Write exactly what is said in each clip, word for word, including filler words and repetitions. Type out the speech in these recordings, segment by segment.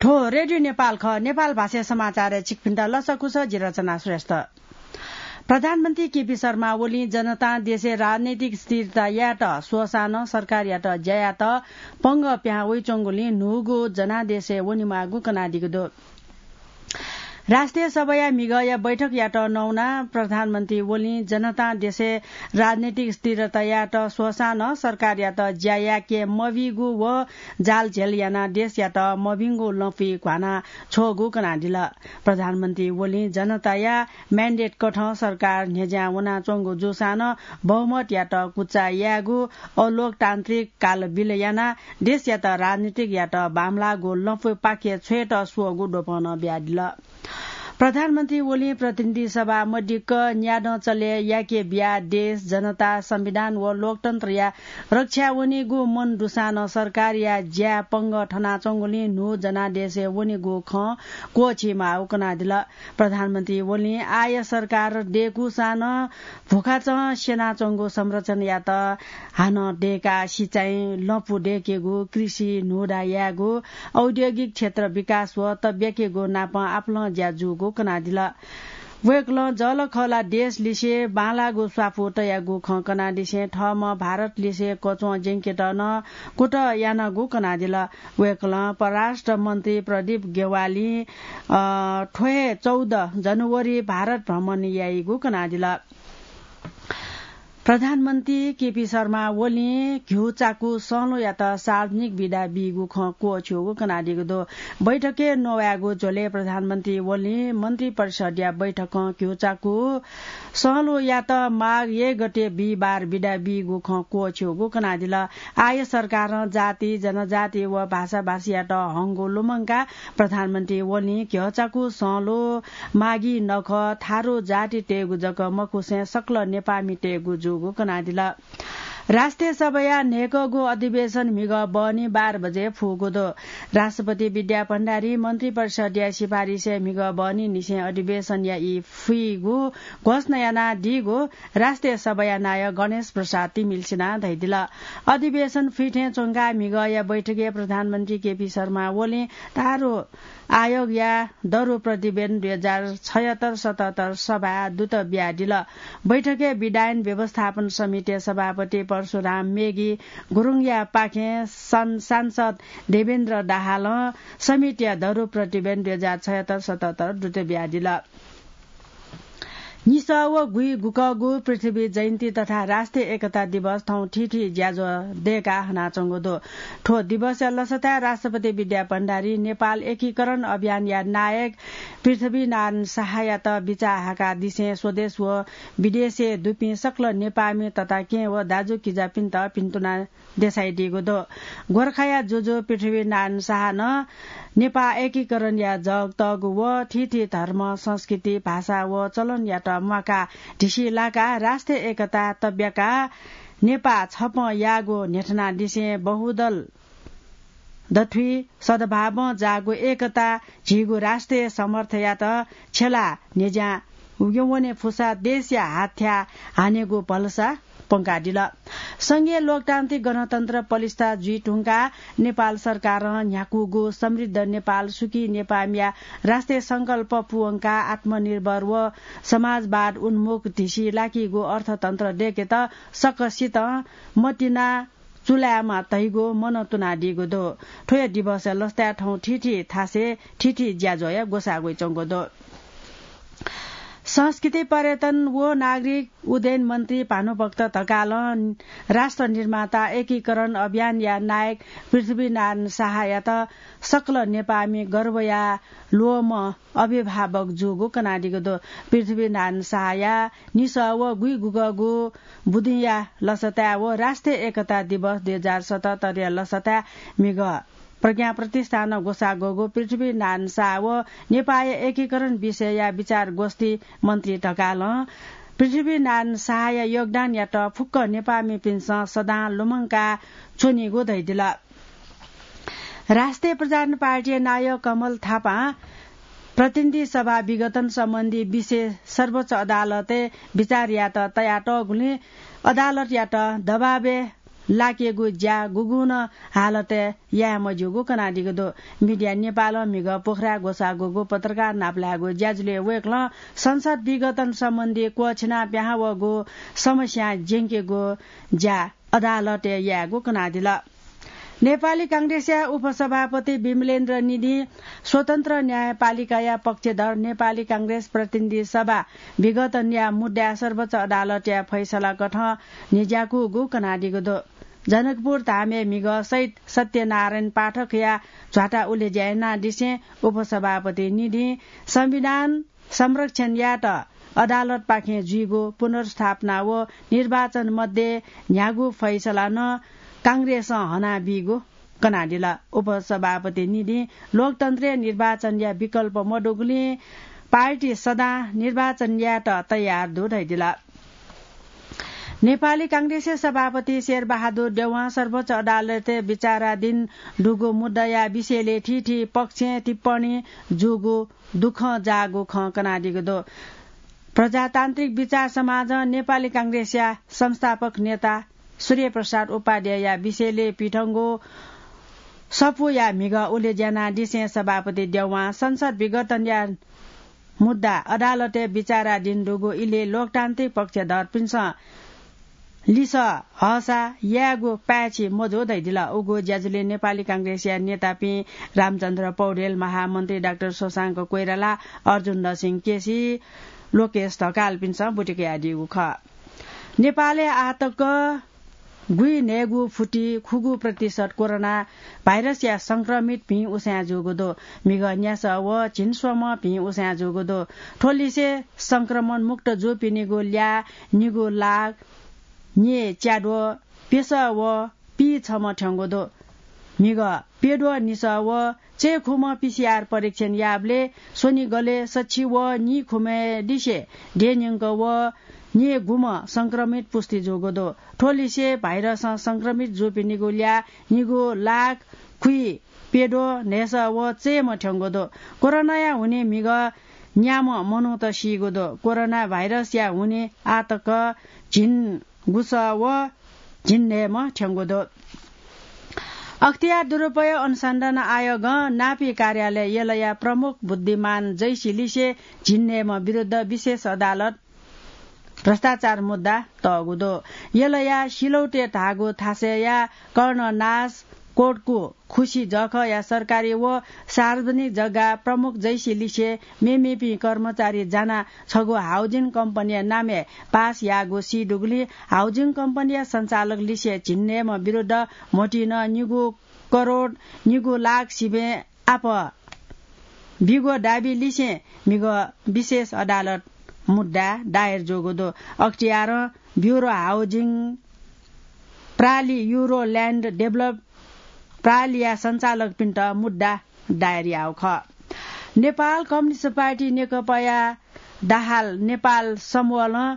थ्व रेडियो नेपाल खः। नेपाल भाषाया समाचारय् छिकपिन्त लसकुस, जि रचना श्रेष्ठ। प्रधानमन्त्री केपी शर्मा ओलीं जनतां देशय् राजनैतिक स्थिरता यायेत स्वःसां नं सरकारयात ज्या यायेत पंगः पिहां वइच्वंगुलिं न्हूगु जनादेशय् वनेमाःगु कनादीगु दु। राष्ट्रिय सभाया म्हिगःया बैठकयात नवानाः प्रधानमन्त्री ओलीं जनतां देशय् राजनैतिक स्थिरता यायेत स्वःसां नं सरकारयात ज्या याके मबीगु व जालझेल यानाः देशयात मभिंगु लँपुइ घ्वाना छ्वःगु कनादिल। प्रधानमन्त्री ओलीं जनताया mandate कथं सरकार न्ह्यज्यां वनाच्वंगु जूसां नं बहुमतयात कुचा यायेगु, अलोकतान्त्रिक कालबिल यानाः देशयात राजनीतिक यात बांमलाःगु लँपुपाखे छ्वयेत स्वःगु द्वपं नं बियादिल। प्रधानमन्त्री ओलीं प्रतिनिधि सभा मदिक्क न्यादँ चले याके बियाः देश, जनता, संविधान व लोकतन्त्रया रक्षा वनीगु मन दुसां नं सरकारया ज्या पंगः थनाच्वंगुलिं न्हू जनादेशय् वनीगु खँ क्वःछी माःगु कनादिल। प्रधानमन्त्री ओलीं आः सरकार दय्कूसां नं भुखाचं स्यनाच्वंगु संरचनायात हानं दय्काः सिँचाइ, लँपु दय्केगु, कृषि, न्हूदा यायेगु, औद्योगिक क्षेत्र विकास व तब्याकेगु नापं आपालं ज्या जूगु कनादिल। वय्कलं जःलाखःला देशलिसे बांलाःगु स्वापू तयागु खँ कनादिसें थःम्हं भारतलिसे कच्वं ज्यंकेत नं कुतः यानागु कनादिल। वय्कलं परराष्ट्र मन्त्री प्रदीप ग्यावालीं, अ, थ्व हे चौध जनवरी भारत भ्रमण याइगु कनादिल। प्रधानमन्त्री केपी शर्मा ओलीं घ्यू चाकु सँलोयात सार्वजनिक बिदा बीगु खँ क्वःछ्यूगु कनादीगु दु। बैठकय् नवायेगु झ्वलय् प्रधानमन्त्री ओलीं मन्त्री परिषदया बैठकं घ्यू चाकु सँलोयात माघ एक गते बिहिबार बिदा बीगु खँ क्वःछ्यूगु कनादिल। आः सरकारं जाति, जनजाति व भाषाभाषीयात हंगु लुमंकाः प्रधानमन्त्री ओलीं घ्यःचाकु सँलो, मागी नखः, थारु जातितय्गु जक मखुसें सकल नेपाःमितय्गु जूगु कनादिल। राष्ट्रिय सभाया न्हय्कःगु अधिवेशन म्हिगः बहनी बाह्र बजे फुगु दु। राष्ट्रपति विद्या भण्डारी मन्त्री परिषदया सिफारिसय् म्हिगः बहनीनिसें अधिवेशनया ई फुइगु घोषणा यानादीगु राष्ट्रिय सभाया नायः गणेश प्रसाद तिमिल्सिनां धयादिल। अधिवेशन फुइथें च्वंकाः म्हिगःया बैठकय् प्रधानमन्त्री केपी शर्मा ओलीं थारु आयोगया दरु प्रतिवेदन दुई हजार छयत्तर सतहत्तर सभाय् दूत बियादिल। बैठकय् विधायन व्यवस्थापन समितिया सभापति परशुराम मेगी गुरुङया पाखें सं-, सांसद देवेन्द्र दाहालं समितिया दरु प्रतिवेदन दुई हजार छयत्तर सतहत्तर दूत बियादिल। निसः व गुइगुकःगु पृथ्वी जयन्ती तथा राष्ट्रिय एकता दिवस थौं थीथी ज्याझ्वः दय्काः हनाच्वंगु दु। थ्व दिवसया लसताय् राष्ट्रपति विद्या भण्डारी नेपाल एकीकरण अभियानया नायक पृथ्वीनारायण शाहयात बिचाः हाकादिसें स्वदेश व विदेशय् दुपिं सकल नेपाःमि तताकेहेँ व दाजुकिजापिन्त भिन्तुना देछाइदीगु दु। गोर्खाया जुजु पृथ्वीनारायण शाहं नेपाः एकीकरणया जग तःगु व थीथी धर्म, संस्कृति, भाषा व चलनयात म्वाकाः धिसी लाकाः राष्ट्रिय एकता तब्याकाः नेपाः छपं याःगु न्ह्यथनादिसें बहुदल दथुइ सद्भावं जाःगु एकता झीगु राष्ट्रिय समर्थयात छ्यलाः न्ह्यज्यां वने फुसा देशया हाथ्याः हानेगु भलसा प्वंकादिल। संघीय लोकतान्त्रिक गणतन्त्र पलिस्था जुइ धुंकाः नेपाल सरकारं न्ह्याकूगु समृद्ध नेपाल सुखी नेपाःमिया राष्ट्रिय संकल्प पूवंकाः आत्मनिर्भर व समाजवाद उन्मुख धिसी लाकीगु अर्थतन्त्र दय्केत सकसितं मतिना चुलायेमा धइगु मनंतुनादीगु दु। थ्व हे दिवसया लसताय् थौं थीथी थासय् थीथी ज्याझ्वःया ग्वसाः वइच्वंगु दु। संस्कृति, पर्यटन व नागरिक उड्डयन मन्त्री भानुभक्त ढकालं राष्ट्र निर्माता एकीकरण अभियानया नायक पृथ्वीनारायण शाहयात सकल नेपाःमि गर्वया ल्वःमं अभिभावक जूगु कनादीगु दु। पृथ्वीनारायण शाहया निसः व गुइगुकःगु बुदिंया लसताय् व राष्ट्रिय एकता दिवस दुई हजार सतहत्तरया लसताय् म्हिगः प्रज्ञा प्रतिष्ठानं ग्वसाः ग्वःगु पृथ्वीनारायण शाह व नेपाःया एकीकरण विषयया विचार गोष्ठी मन्त्री ढकालं पृथ्वीनारायण शाहया योगदानयात फुक्क नेपाःमिपिन्सं सदां लुमंका च्वनीगु धयादिल। राष्ट्रिय प्रजातन्त्र पार्टीया नायः कमल थापां प्रतिनिधि सभा विघटन सम्बन्धी विषय सर्वोच्च अदालतय् विचार यायेत तयातःगुलिं अदालतयात दबाबय् लाकेगु ज्या गुगुं नं हालतय् याये मज्यूगु कनादीगु दु। मिडिया नेपालं म्हिगः पोखराय् ग्वसाः ग्वःगु पत्रकार नापलायेगु ज्याझ्वलय् वय्कलं संसद विघटन सम्बन्धी क्वःछिनाः पिहां वःगु समस्यां ज्यंकेगु ज्या अदालतय् यायेगु कनादिल। नेपाली कांग्रेसया उपसभापति विमलेन्द्र निधिं स्वतन्त्र न्यायपालिकाया पक्षधर नेपाली कांग्रेस प्रतिनिधि सभा विघटनया मुद्दाय् सर्वोच्च अदालतया फैसला कथं न्ह्यज्याकूगु कनादीगु दु। जनकपुर धामय् म्हिगः शहीद सत्यनारायण पाठकया झ्वाता उलेज्या यानादिसें उपसभापति निधिं संविधान संरक्षण यायेत अदालतपाखें जुइगु पुनर्स्थापना व निर्वाचन मध्ये न्ह्यागु फैसला नं कांग्रेसं हनाबीगु कनादिल। उपसभापति निधिं लोकतन्त्रय् निर्वाचनया विकल्प मदुगुलिं पार्टी सदां निर्वाचन यायेत तयार दु धयादिल। नेपाली कांग्रेसया सभापति शेरबहादुर देउवां सर्वोच्च अदालतय् विचाराधीन दुगु मुद्दाया विषयलय् थीथी पक्षं टिप्पणी जूगु दुःखं जाःगु खँ कनादीगु दु। प्रजातान्त्रिक विचार समाजं नेपाली कांग्रेसया संस्थापक नेता सूर्यप्रसाद उपाध्यायया विषयलय् पिथंगु सफूया म्हिगः उलेज्या यानादिसें सभापति देउवां संसद विघटनया मुद्दा अदालतय् विचाराधीन दुगु इलय् लोकतान्त्रिक पक्षधरपिन्सं लिसः हःसा यायेगु पाय्छि मजू धयादिल। उगु ज्याझ्वलय् नेपाली कांग्रेसया नेतापिं रामचन्द्र पौडेल, महामन्त्री डाक्टर शशांक कोइराला, अर्जुन नरसिंह केसी, लोकेश ढकालपिन्सं बुँति कयादीगु खः। नेपालय् आः तक गुइन्हय्गू फुति खुगू प्रतिशत कोरोना भाइरसया संक्रमित भिं उसाँय् जूगु दु। म्हिगः न्यासः व झिंस्वम्ह भिं उसाँय् जूगु दु। थ्व लिसे संक्रमण मुक्त जूपिनिगु ल्याः निगू लाख न्येच्याद्वः प्यसः व पीछम्ह थ्यंगु दु। म्हिगः प्यद्वः निसः व चय्खुम्ह पीसीआर परीक्षण याःबलय् स्वनिगलय् सछि व नीखुम्हय् लिसे देय्न्यंक व न्येगुम्ह संक्रमित पुष्टि जूगु दु। थ्व लिसे भाइरसं संक्रमित जूपिनिगु ल्याः निगू लाख खुइप्यद्वः न्हय्सः व चय्म्ह थ्यंगु दु। कोरोनाया हुनिं म्हिगः न्याम्ह मनूत सीगु दु। कोरोना भाइरसया हुनिं आः तक झिंगुसः व झिंन्हय्म्ह थ्यंगु दु। अख्तियार दुरुपयोग अनुसन्धान आयोगं नापी कार्यालय यलया प्रमुख बुद्धिमान जैसी लिसे झिंन्हय्म्ह विरुद्ध विशेष अदालत भ्रष्टाचार मुद्दा तःगु दु। यलया सिलौटे धाःगु थासय्या कर्णनाश कोटकु खुसी जःखःया सरकारी व सार्वजनिक जग्गा प्रमुख जैसी लिसे मेमेपिं कर्मचारी जानाः छगू हाउजिङ कम्पनीया नामय् पास याःगु सी दुगुलिं हाउजिङ कम्पनीया सञ्चालक लिसे झिंन्हय्म्ह विरुद्ध म्होतिं निगू करोड निगू लाख सिबें आपः बीगु दाबी लिसें म्हिगः विशेष अदालत मुद्दा दायर जूगु दु। अख्तियारं ब्युरो हाउजिङ प्रालि, युरो ल्यान्ड डेभलप प्रालिया सञ्चालकपिन्त मुद्दा दायर याःगु खः। नेपाल कम्युनिस्ट पार्टी नेकपाया दाहाल नेपाल समूहलं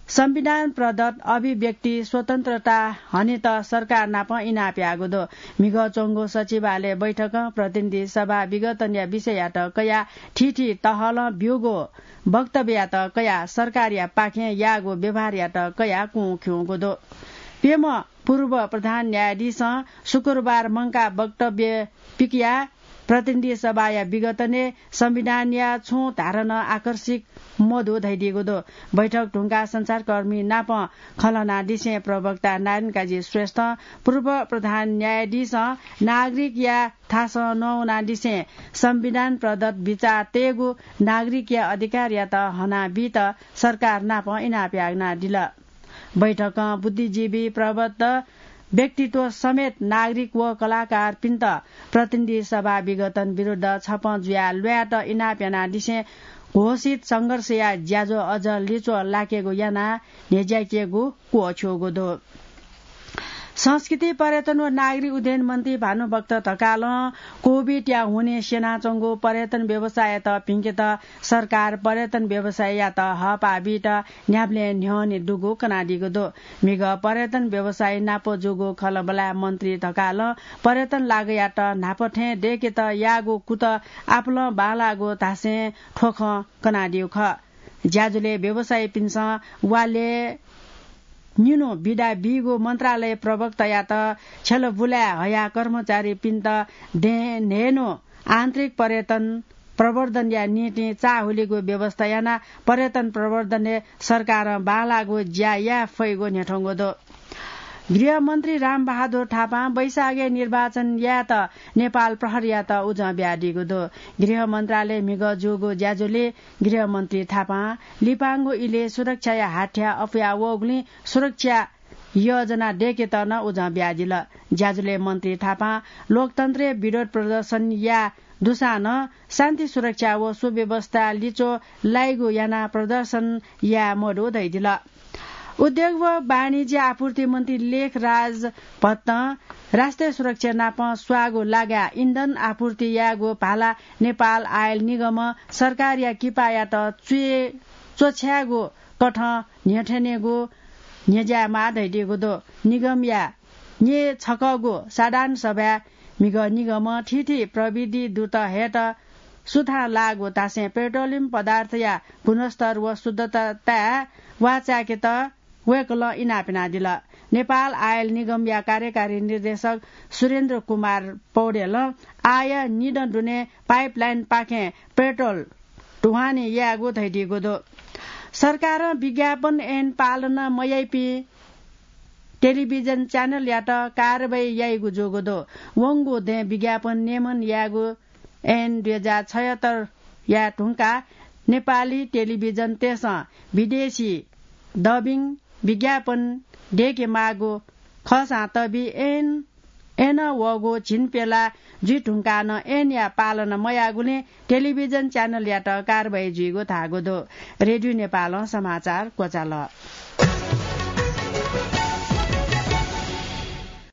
संविधान प्रदत्त अभिव्यक्ति स्वतन्त्रता हनेत सरकार नाप इनाप याःगु दु। म्हिगः च्वंगु सचिवालय बैठकं प्रतिनिधि सभा विघटनया विषययात कयाः थीथी तहलं ब्यूगु वक्तव्ययात कयाः सरकारया पाखें याःगु व्यवहारयात कयाः कुं खिउँगु दु। प्यम्ह पूर्व प्रधान न्यायाधीशं शुक्रबार मंकाः वक्तव्य पिकयाः प्रतिनिधि सभाया विघटनय् संविधानया छुं धारा नं आकर्षित मदु धयादीगु दु। बैठक धुंकाः सञ्चारकर्मी नाप खँ ल्हानादिसें प्रवक्ता नारायण काजी श्रेष्ठं पूर्व प्रधान न्यायाधीशं नागरिकया थासं नवानादिसें संविधान प्रदत्त बिचाः तयेगु नागरिकया अधिकारयात हनाबीत सरकार नाप इनाप यानादिल। बैठकं बुद्धिजीवी, प्रबुद्ध व्यक्तित्व समेत नागरिक व कलाकारपिन्त प्रतिनिधि सभा विघटन विरुद्ध छपं जुयाः ल्वायेत इनाप यानादिसें घोषित संघर्षया ज्याझ्वः अझ लिच्वः लाकेगु यानाः न्ह्यज्याकेगु क्वःछ्यूगु दु। संस्कृति, पर्यटन व नागरिक उड्डयन मन्त्री भानुभक्त ढकालं कोभिडया हुनिं स्यनाच्वंगु पर्यटन व्यवसाययात भिंकेत सरकार पर्यटन व्यवसाययात हःपाः बीत न्ह्याबलें न्ह्यःने दुगु कनादीगु दु। म्हिगः पर्यटन व्यवसायी नाप जूगु खँल्हाबल्हाय् मन्त्री ढकालं पर्यटन लागतयात न्हापा थें दय्केत याःगु कुतः आपालं बांलाःगु धासें थ्व खँ कनादीगु खः। ज्याझ्वलय् व्यवसायीपिन्सं वालय् निन्हु बिदा बीगु मन्त्रालय प्रवक्तायात छ्यलबुलाय् हयाः कर्मचारीपिन्त दें न्हय्न्हु आन्तरिक पर्यटन प्रवर्धनया निंतिं चाःहुलिगु व्यवस्था यानाः पर्यटन प्रवर्धनय् सरकारं बांलाःगु ज्या याये फइगु न्ह्यथंगु दु। गृहमन्त्री रामबहादुर थापां वैशाखय् निर्वाचन यायेत नेपाल प्रहरीयात उजं बियादीगु दु। गृह मन्त्रालय म्हिगः जूगु ज्याझ्वलय् गृहमन्त्री थापां लिपांगु इलय् सुरक्षाया हाथ्या अप्वया वःगुलिं सुरक्षा योजना दय्केत नं उजं बियादिल। ज्याझ्वलय् मन्त्री थापां लोकतन्त्रय् विरोध प्रदर्शन याये दुसां नं शान्ति सुरक्षा व सुव्यवस्था लिच्वः लाइगु यानाः प्रदर्शन याये मदु धयादिल। उद्योग व वाणिज्य आपूर्ति मन्त्री लेखराज भट्टं राष्ट्रिय सुरक्षा नाप स्वाःगु लागाय् इन्धन आपूर्ति यायेगु भाला नेपाल आयल निगमं सरकारया किपायात च्वछ्यायेगु कथं न्ह्यथनेगु न्ह्यज्यायेमाः धयादीगु दु। निगमया न्येछकःगु साधारण सभाय् म्हिगः निगमं थीथी प्रविधि दुत हयेत सुथां लाःगु धासें पेट्रोलियम पदार्थया गुणस्तर व शुद्धताय् वाःचाय्केत वय्कलं इनाप यानादिल। नेपाल आयल निगमया कार्यकारी निर्देशक सुरेन्द्र कुमार पौडेलं आःया निदँ दुने पाइपलाइनपाखें पेट्रोल ढुवानी यायेगु धयादीगु दु। सरकारं विज्ञापन ऐन पालना मयाइपिं टेलिभिजन च्यानलयात कारवाही याइगु जूगु दु। वंगु दँय् विज्ञापन नियमन यायेगु ऐन दुई हजार छयत्तरया धुंकाः नेपाली टेलिभिजनतय्सं विदेशी डबिङ विज्ञापन दय्केमाःगु खःसां तबि ऐन, ऐनं वःगु झिंप्यला जुइ धुंकाः नं ऐनया पालना मयाःगुलिं टेलिभिजन च्यानलयात कारवाही जुइगु धाःगु दु। रेडियो नेपालं समाचार क्वचाल।